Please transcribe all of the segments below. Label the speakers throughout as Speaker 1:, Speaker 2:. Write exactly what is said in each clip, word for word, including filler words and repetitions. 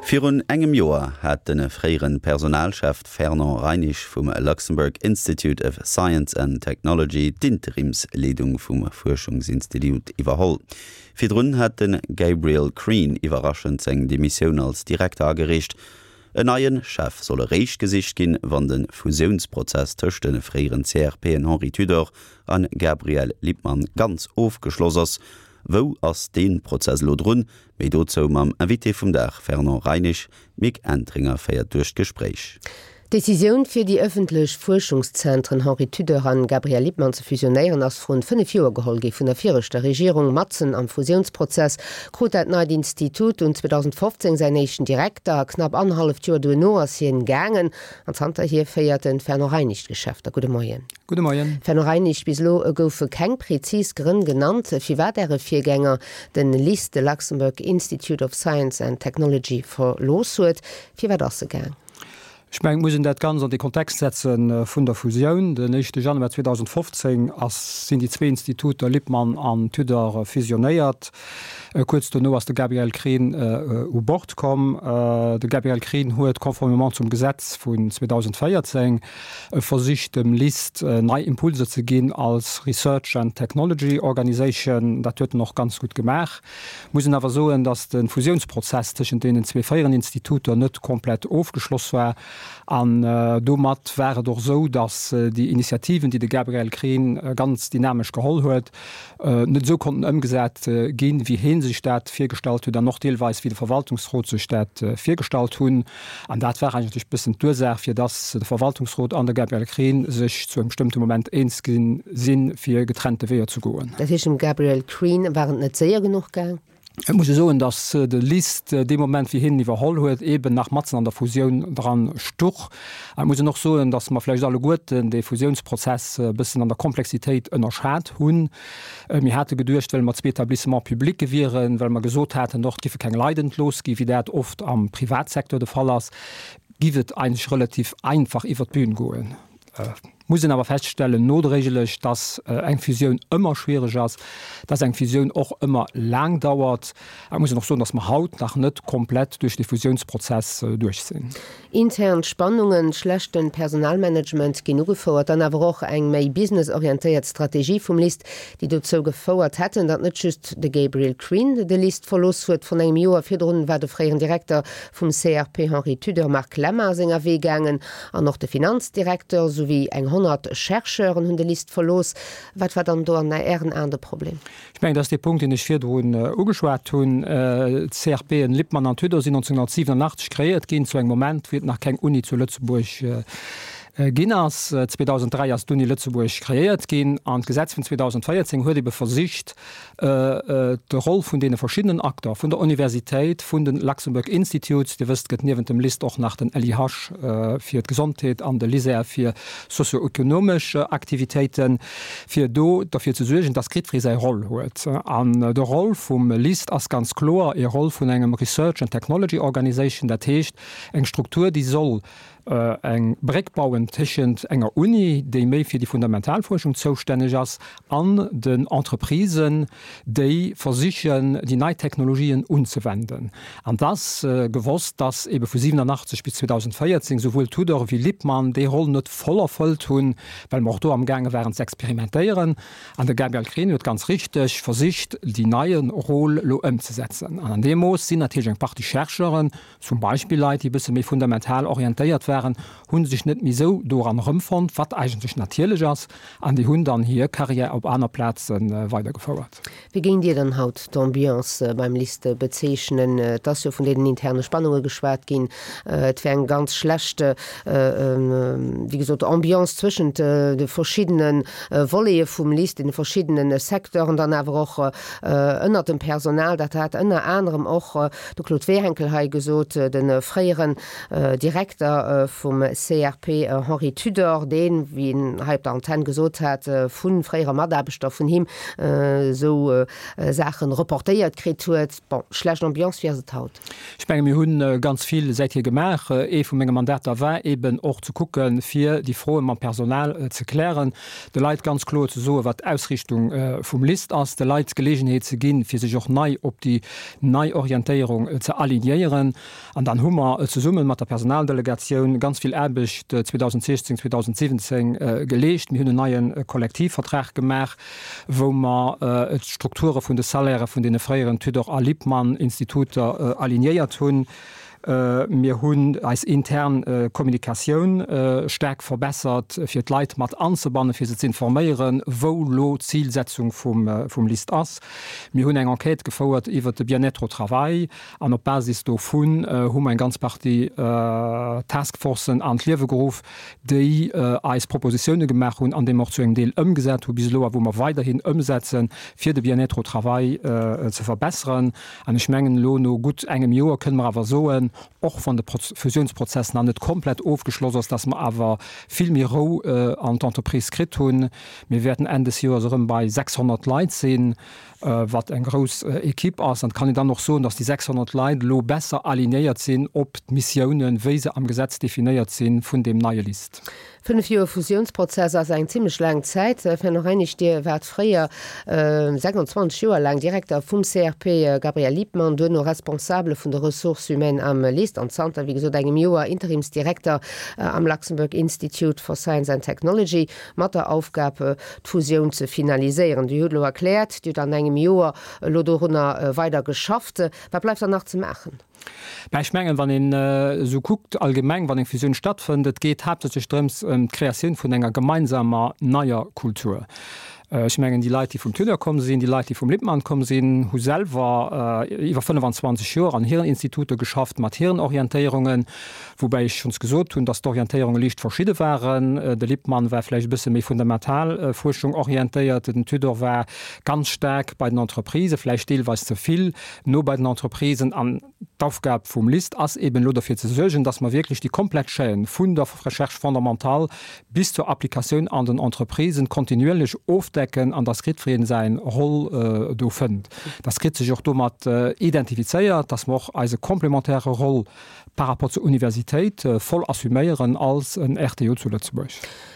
Speaker 1: Virun engem Joer hat de fréiere Personalchef Fernand Reinisch vum Luxembourg Institute of Science and Technology d'Interimsleedung vum Fuerschungsinstitut iwwerholl. Virdrun hat de Gabriel Crean iwwerraschend seng Demissioun als Direkter agereecht. En neie Chef soll eréischt gesicht ginn, wann de Fusiounsprozess tëscht de fréieren C R P en Henri Tudor an Gabriel Lippmann ganz ofgeschloss ass. Wou ass dee Prozess elo drun? Méi dozou mam Invité vum Dag Fernand Reinisch. D'Mick Entringer féiert duerch d'Gespréich.
Speaker 2: D'Decisioun fir déi ëffentlech Fuerschungszentren Henri Tudor an Gabriel Lippmann ze fusionéieren ass vrun fënnef Joer geholl gi vun der viregter Regierung. Matzen am Fusiounsprozess krut dat neit Institut dunn zweedausendfofzéng säin éischten Direkter. Knapp annerhalleft Joer duerno ass hien gaangen an zanterhier féiert de Fernand Reinisch d'Geschäfter. Gudde Moien.
Speaker 3: Gudde Moien.
Speaker 2: Fernand Reinisch, bis elo goufe keng prezis Grënn genannt, firwat Äre Virgänger de LIST, de Luxembourg Institute of Science and Technology, verlooss huet. Firwat ass e gaang?
Speaker 3: Ech mengen, et muss een dat Ganzt an de Kontext setzen vun der Fusioun. Den éischte Januar zweedausendfofzéng ass, sinn déi zwee Instituter Lippmann an Tudor fusionéiert. Kuerz dono ass de Gabriel Crean u Bord komm. De Gabriel Crean huet conformément zum Gesetz vun zweedausendvéierzéng versicht, dem LIST nei Impulser ze ginn als Research and Technology Organization. Dat huet en och ganz gutt gemaach. Muss een awer soen, datt de Fusiounsprozess tëschent deenen zwee fréieren Instituter net komplett ofgeschloss war. An domat war et och esou, datt déi Initiativen, déi de Gabriel Crean ganz dynamesch geholl huet, net esou konnten ëmgesat ginn, wéi hie sech dat virgestallt huet an och deelweis wéi de Verwaltungsrot sech dat virgestallt hunn. An dat war eigentlech e bëssen d'Ursaach, fir datt de Verwaltungsrot an de Gabriel Crean sech zu engem bestëmmte Moment eens gi sinn, fir getrennte Weeër ze goen.
Speaker 2: Dat heescht, dem Gabriel Crean war et net séier genuch gaang?
Speaker 3: Et muss ee soen, datt de LIST dee Moment, wéi hien iwwerholl huet, eeben nach matzen an der Fusioun dran stuch. Et muss een och soen, datt mer vläicht alleguerten dee Fusiounsprozess e bëssen an der Komplexitéit ënnerschat hunn. Mir hate geduecht, well mer zwee Établissements publics wieren, well mer gesot haten, och et giffe keng Leit entlooss ginn, wéi dat oft am Privatsecteur de Fall ass, giff et eigentlech relativ einfach iwwert d'Bün goen. Muss een awer feststellen, nodréiglech, dass eng Fusioun ëmmer schwiereg ass, dass eng Fusioun och ëmmer laang dauert. Et muss een och soen, dass mer haut nach net komplett duerch dee Fusiounsprozess duerch sinn.
Speaker 2: Intern Spannungen, schlechte Personalmanagement ginn ugefouert, dann awer och eng méi businessorientéiert Strategie vum LIST, déi dozou gefouert hätten, datt net just de Gabriel Crean de LIST verlooss huet. Vrun engem Joer virdrun war de fréieren Direkter vum C R P Henri Tudor Marc Lemmer senger Wee gaangen an och de Finanzdirekter souwéi eng honnert Chercheuren hunn de LIST verlooss. Wat war dann do an Ären Aen de Problem?
Speaker 3: Ech mengen, dat ass dee Punkt, deen ech virdrun ugeschwat hunn. D'C R P en Lippmann an Tudor sinn nonzénghunnertsiwenunachtzeg kreéiert ginn, zu engem Moment, wéi et nach keng Uni zu Lëtzebuerg ginn ass. zweedausendräi ass d'Uni Lëtzebuerg kreéiert ginn an d'Gesetz vun zweedausendvéierzéng huet ebe versicht, d'Roll vun deene verschiddenen Acteur, vun der Universitéit, vun de Luxembourg Institutes, Dir wësst, et gëtt niewent dem LIST och nach den L I H fir d'Gesondheet an de LISER fir sozio-ökonomesch Aktivitéiten, fir do derfir ze suergen, dass jiddweree säi Roll huet. An de Roll vum LIST ass ganz kloer e Roll vun engem Research and Technology Organization, dat heescht eng Struktur, déi soll eng Bréck bauen tëschent enger Uni, déi méi fir déi fundamental Fuerschung zoustänneg ass, an den Entreprisen, déi versichen, déi nei Technologien unzewenden. An et ass gewosst, dass ebe vu siwenunachtzeg bis zweedausendvéierzéng souwuel Tudor wéi Lippmann déi Roll net voll erfëllt hunn, well mer och do amgaange waren ze experimentéieren. An de Gabriel Crean huet ganz richteg versicht, déi neie Rôle elo ëmzesetzen. An an deem Mooss sinn natierlech eng Partie Chercheuren, zum Beispill Leit, déi e bësse méi fundamental orientéiert waren, hu sech net méi esou doran erëmfonnt, wat eigentlech natierlech ass, an déi hunn dann hir Carrière op aner Plaze weidergefouert.
Speaker 2: Wéi géingt Dir dann haut d'Ambiance beim LIST bezeechnen? Et ass jo vun deenen interne Spannunge geschwat ginn. Et wär eng ganz schlecht, wéi gesot, Ambiance zwëschent de verschiddene Volete vum LIST, deene verschiddene Secteuren, dann awer och ënnert dem Personal. Dat hat ënner anerem och de Claude Wehenkel hei gesot, de fréieren Direkter vum C R P. Henri Tudor, deen, wéi en hei op der Antenn gesot hat, vu fréiere Mataarbechter vun him esou Saachen reportéiert kritt huet. Bon, schlecht Ambiance, wéi ass et haut?
Speaker 3: Ech menge mir hu ganz vill säithier gemaach. Ee vu menge Mandater war eben och ze kucken, fir déi Froe mam Personal ze klären, de Leit ganz kloer ze soen, wat d'Ausrichtung vum LIST ass, de Leit d'Geleegenheet ze ginn, fir sech och nei op déi nei Orientéierung ze alignéieren. An dann hu mer zesumme mat der Personaldelegatioun ganz vill Aarbecht zweedausendsechzéng, zweedausensiwwenzéng geleescht. Mir hunn en neie Kollektivvertrag gemaach, wou mer d'Strukture vun de Salairë vun deene fréieren Tudor a Lippmann Instituter alignéiert hunn. Mir hunn eis intern Kommunikatioun staark verbessert, fir d'Leit mat anzebannen, fir se z'informéieren, wou elo d'Zilsetzung vum LIST ass. Mir hunn eng Enquête gefouert iwwert de Bien-être au travail an op Basis dovun hu mer eng ganz Partie Taskforcen an d'Liewe geruff, déi eis Propositioune gemaach hunn an déi mer och zu engem Deel ëmgesat hu bis elo a wou mer weiderhin ëmsetzen, fir de Bien-être au travail ze verbesseren. An ech mengen, elo no gutt engem Joer kënne mer awer soen, och wann de Fusiounsprozess nach net komplett ofgeschloss ass, dass mer awer vill méi Rou an d'Entreprise kritt hunn. Mir wäerten Enn des Joers erëm bei sechshonnert Leit sinn, wat eng grouss Equipe ass. An et kann een dann och soen, dass déi sechshonnert Leit elo besser alignéiert sinn op d'Missiounen, wéi se am Gesetz definéiert sinn, vun deem neie LIST.
Speaker 2: Fënnef Joer Fusiounsprozess ass eng zimmlech laang Zäit. Fernand Heinisch, Dir waart fréier sechsundzwanzeg Joer laang Direkter vum C R P Gabriel Lippmann, duerno Responsabele vun de Ressources humaines am LIST an zanter, wéi gesot, engem Joer Interimsdirekter am Luxembourg Institute for Science and Technology mat der Aufgab, d'Fusioun ze finaliséieren. Dir hutt elo erkläert, Dir hutt an engem Joer elo dorunner weider geschafft. Wat bleift dann nach ze maachen?
Speaker 3: Mä ech mengen, wann een esou kuckt allgemeng, wann eng Fusioun stattfënnt, et geet haaptsächlech drëms ëm d'Kreatioun vun enger gemeinsamer neier Kultur. Ech mengen, déi Leit, déi vum Tudor komm sinn, déi Leit, déi vum Lippmann komm sinn, hu selwer iwwer fënnfanzwanzeg Joer an hiren Instituter geschafft, mat hiren Orientéierungen, woubäi ech schonns gesot hunn, dass d'Orientéierunge liicht verschidde waren. De Lippmann war vläicht e bësse méi fundamental Fuerschung orientéiert, den Tudor war ganz staark bei den Entreprisen, vläicht deelweis ze vill no bei den Entreprisen. An d'Aufgab vum LIST ass eben elo derfir ze suergen, dass mer wierklech déi komplett Chaîne vun der Recherche fondamentale bis zur Applikatioun an den Entreprisen kontinuierlech ofdecken an dass jiddweree säin Roll do fënnt, dass kritt sech och domat identifizéiert, dass mer och eise complémentaire Roll par rapport zur Universitéit voll assuméieren als en R T O zu Lëtzebuerg.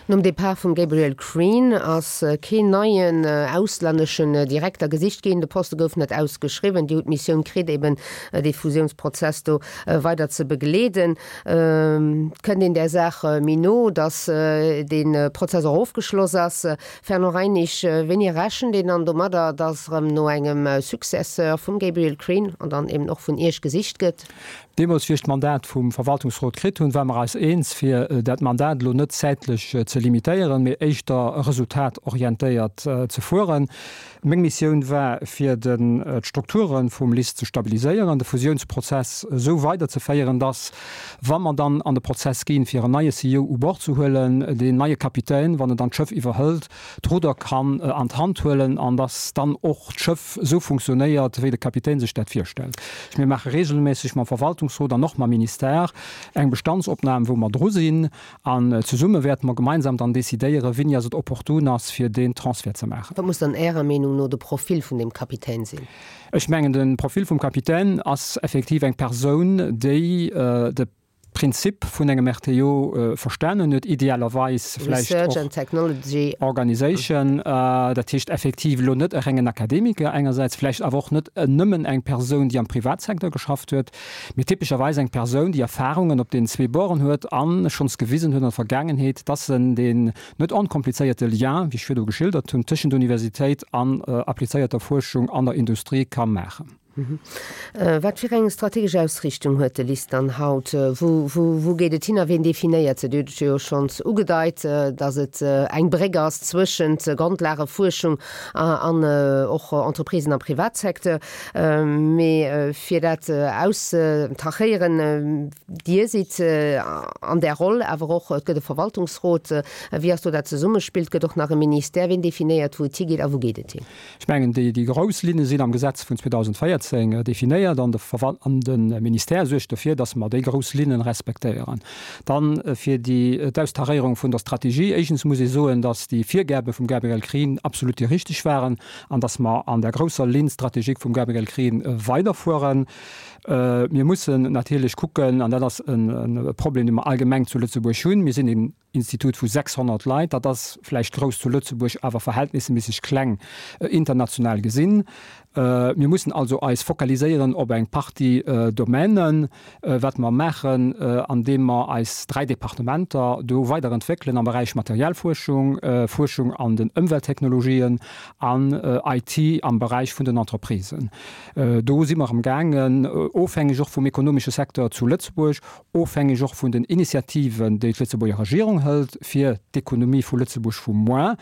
Speaker 2: Nom Depart vum Gabriel Crean ass keen neien auslänneschen Direkter gesicht ginn. De Poste gouf net ausgeschriwwen. Dir hutt d'Missioun kritt, eben dee Fusiounsprozess do weider ze begleeden. Kënnt een där Saach méi no, datt dee Prozess och ofgeschloss ass? Fernand Heinisch, wéini rechent een dann domadder, datt erëm no engem Successeur vum Gabriel Crean an dann eben och vun Iech gesicht gëtt?
Speaker 3: Deemools, wéi ech d'Mandat vum Verwaltungsrot kritt hunn, ware mer eis eens, fir dat Mandat elo net zäitlech ze limitéieren, mee éischter resultatorientéiert ze fueren. Meng Missioun war, fir d'Strukture vum LIST ze stabiliséieren, de Fusiounsprozess esou weiderzeféieren, dass, wa mer dann an de Prozess ginn, fir en neie C E O u Bord ze huelen, deen neie Kapitän, wann en dann d'Schëff iwwerhëlt, d'Rudder kann an d'Hand huelen an dass dann och d'Schëff esou funktionéiert, wéi de Kapitän sech dat virstellt. Mir maache regelméisseg mam Verwaltungsrot an och mam Ministère eng Bestandsopnam, wou mer dru sinn, an zesumme wäerte mer gemeinsam dann decidéieren, wéini ass et opportun ass, fir deen Transfert ze maachen.
Speaker 2: Wat muss dann Ärer Meenung no de Profil vun deem Kapitän sinn?
Speaker 3: Ech mengen, de Profil vum Kapitän ass effektiv eng Persoun, déi de Prinzip vun engem R T O verstanen huet, idealerweis vläicht
Speaker 2: Research and Technology
Speaker 3: Organization, dat heescht effektiv elo net e rengen Akademiker engersäits, vläicht awer och net nëmmen eng Persoun, déi am Privatsecteur geschafft huet, mee typescherweis eng Persoun, déi Erfahrungen op deenen zwee Borden huet a schonns gewisen huet an der Vergaangenheet, dass en deen net onkomplizéierte Lien, wéi ech virdu geschildert hunn, tëschent Universitéit an applizéierter Fuerschung an der Industrie ka maachen.
Speaker 2: Wat fir eng strategesch Ausrichtung huet de LIST dann haut? Wou, wou, wou geet et hin a wien definéiert se? Dir hutt et jo schonns ugedeit, datt et eng Bréck ass zwëschent Grondlagefuerschung an och Entreprisen am Privatsecteur. Mee fir dat auszetachéieren, Dir sidd an där Roll, awer och et gëtt e Verwaltungsrot. Wéi ass do dat Zesummespill? Et gëtt och nach e Ministère. Wien definéiert, wou et higeet a wou geet et hin?
Speaker 3: Ech mengen, déi, déi grouss Linne sinn am Gesetz vun zweedausendvéierzéng zweedausendvéierzéng definéiert an de an de Ministère suergt dofir, dass mer déi grouss Linnen respektéieren. Dann fir déi d'Austaréierung vun der Strategie. Éischtens muss ee soen, dass déi Virgabe vum Gabriel Krin absolut déi richteg waren an dass mer an der grousser Ligne stratégique vum Gabriel Krin weiderfueren. Mir mussen natierlech kucken, an dat ass e Problem, dee mer allgemeng zu Lëtzebuerg hunn, mir sinn een Institut vu sechshonnert Leit, dat ass vläicht grouss zu Lëtzebuerg, awer verhältnisseméisseg kleng international gesinn. Mir mussen also eis fokaliséieren op eng Partie Domänen, wat mer maachen, andeem mer eis dräi Departementer do weiderentwéckelen am Beräich Materialfuerschung, Fuerschung an den Ëmwelttechnologien an I T am Beräich vun den Entreprisen. Do si mer amgaangen, ofhängeg och vum ekonomesche Secteur zu Lëtzebuerg, ofhängeg och vun den Initiativen, déi d'Lëtzebuerger Regierung hëlt, fir d'Ekonomie vu Lëtzebuerg vu muer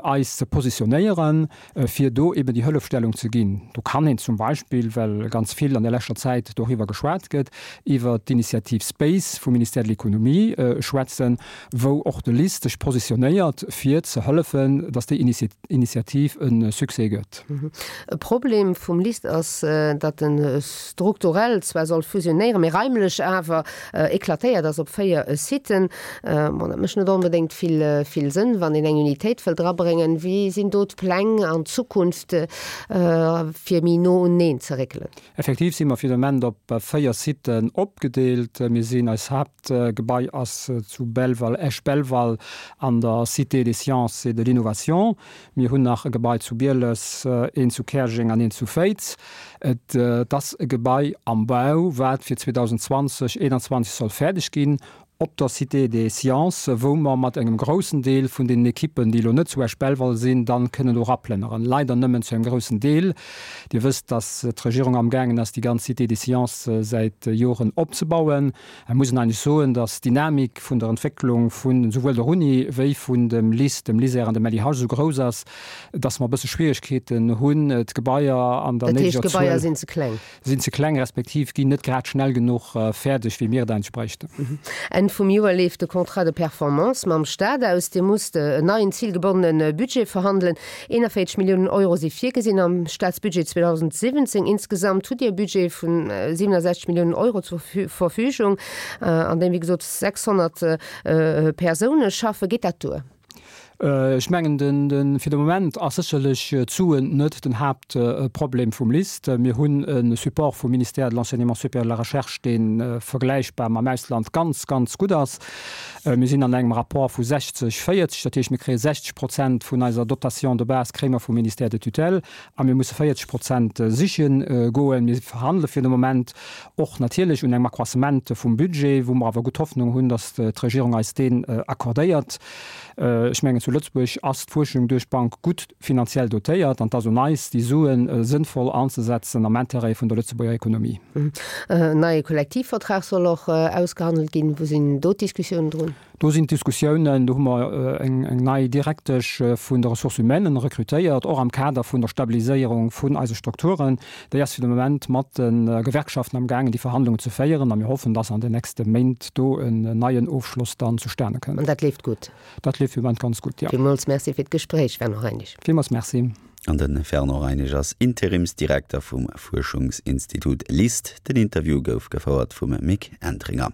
Speaker 3: eis ze positionéieren, fir do eben déi Hëllefstellung ze ginn. Do kann een zum Beispill, well ganz vill an der leschter Zäit doriwwer geschwat gëtt, iwwert d'Initiativ Space vum Ministère de l'Économie schwätzen, wou och de LIST sech positionéiert, fir ze hëllefen, datt déi Initiativ e Succès gëtt.
Speaker 2: E Problem vum LIST ass, datt en strukturell zwar soll fusionéieren, mee raimlech awer eklatéiert ass op véier Siten. Bon, dat mécht net onbedéngt vill, vill Sënn, wann een eng Unitéit wëllt drabréngen. Wéi sinn do d'Pläng an Zukunft, fir méi no uneen ze réckelen?
Speaker 3: Effektiv si mer fir de Moment op véier Siten opgedeelt. Mir sinn, eis Haaptgebai ass zu Belval, Esch-Belval an der Cité des Sciences et de l'Innovation. Mir hunn nach e Gebai zu Bieles, eent zu Käerjeng an eent zu Féiz. Et ass e Gebai am Bau, wat fir zweedausendzwanzeg, eenanzwanzeg soll fäerdeg ginn, op der Cité des Sciences, wou mer mat engem groussen Deel vun deenen Ekippen, déi elo net zu Esch-Belval sinn, dann kënnen do eraplënneren. Leider nëmmen zu engem groussen Deel. Dir wësst, dass d'Regierung amgaangen ass, déi ganz Cité des Sciences säit Joren opzebauen. Et muss een eigentlech soen, dass d'Dynamik vun der Entwécklung vun esouwuel der Uni wéi vun dem LIST, dem LISER an dem L I H esou grouss ass, dass mer e bësse Schwierigkeeten hunn, d'Gebaier an der
Speaker 2: Dat heescht,
Speaker 3: néideger
Speaker 2: d'Gebaier
Speaker 3: Zuel
Speaker 2: sinn ze kleng?
Speaker 3: Sinn ze kleng respektiv ginn net grad schnell genuch fäerdeg, wéi mir et eigentlech bräichten.
Speaker 2: Enn vum Joer leeft de Contrat de performance mam Staat aus. Dir musst en neien zilgebonnene Budget verhandelen. eenanvéierzeg Milliounen Euro si virgesinn am Staatsbudget zweedausendsiwwenzéng. Insgesamt hutt Dir e Budget vun siwenasechzeg Milliounen Euro zur Verfügung, an deem wéi gesot sechshonnert Persoune schaffen. Geet dat duer?
Speaker 3: Ech mengen, fir de Moment ass sécherlech d'Suen net den Haaptproblem vum LIST. Mir hunn e Support vum Ministère de l'Enseignement supérieur et de la Recherche, dee vergläichbar mam Ausland ganz, ganz gutt ass. Mir sinn an engem Rapport vu sechzeg, véierzeg, dat heescht, mir kréie sechzeg Prozent vun eiser Dotation de base kréie mer vum Ministère de tutelle a mir musse véierzeg Prozent siche goen. Mir verhandele fir de Moment och natierlech un engem Accroissement vum Budget, wou mer awer gutt Hoffnung hunn, datt d'Regierung eis deen accordéiert. Ech mengen, zu Lëtzebuerg ass d'Fuerschung duerch d'Bank gutt finanziell dotéiert an et ass un eis, déi Suen sënnvoll anzesetzen am Intérêt vun der Lëtzebuerger Ekonomie.
Speaker 2: En neie Kollektivvertrag soll och ausgehandelt ginn. Wou sinn do d'Diskussiounen drun?
Speaker 3: Do sinn d'Diskussiounen, do hu mer eng nei Direktesch vun de Ressources humaines rekrutéiert, och am Kader vun der Stabiliséierung vun eise Strukturen. Déi ass fir de Moment mat de Gewerkschaften amgaangen, déi Verhandlungen ze féieren a mir hoffen, dass an den nächste Méint do en neien Ofschloss dann zustane kënnt.
Speaker 2: An dat leeft gutt?
Speaker 3: Dat leeft fir de Moment ganz gutt, jo.
Speaker 2: Villmools Merci fir d'Gespréich, Fernand Heinisch.
Speaker 3: Villmools Merci.
Speaker 1: An de Fernand Heinisch ass Interimsdirekter vum Fuerschungsinstitut LIST. Den Interview gouf gefouert vum Mick Entringer.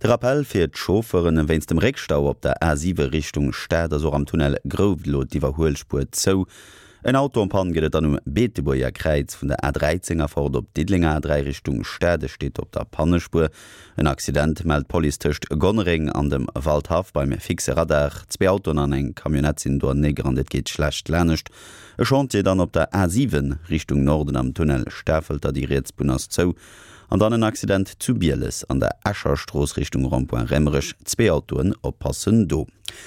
Speaker 1: De Rappell fir d'Chauffeuren, Wéinst dem Réckstau op der A siwe Richtung Stad ass och am Tunnel Grouft elo d'Iwwerhuelspuer zou. En Auto en panne gëtt et dann um Beetebuerger Kräiz vun der A dräizéng erfort op d'Diddelenger A dräi Richtung Stad. E steet op der Pannespuer. En Accident mellt d'Police tëscht Gonnereng an dem Waldhaff beim fixe Radar. Zwee Autoen an eng Camionnette sinn do aneneegerannt, et geet schlecht lanescht. E Chantier dann op der A siwen Richtung Norden am Tunnel Stafelter, déi riets Bunn ass zou. An dann en Accident zu Bieles an der Escher Strooss Richtung Rond-point Raemerech, zwee Autoen, oppassen do.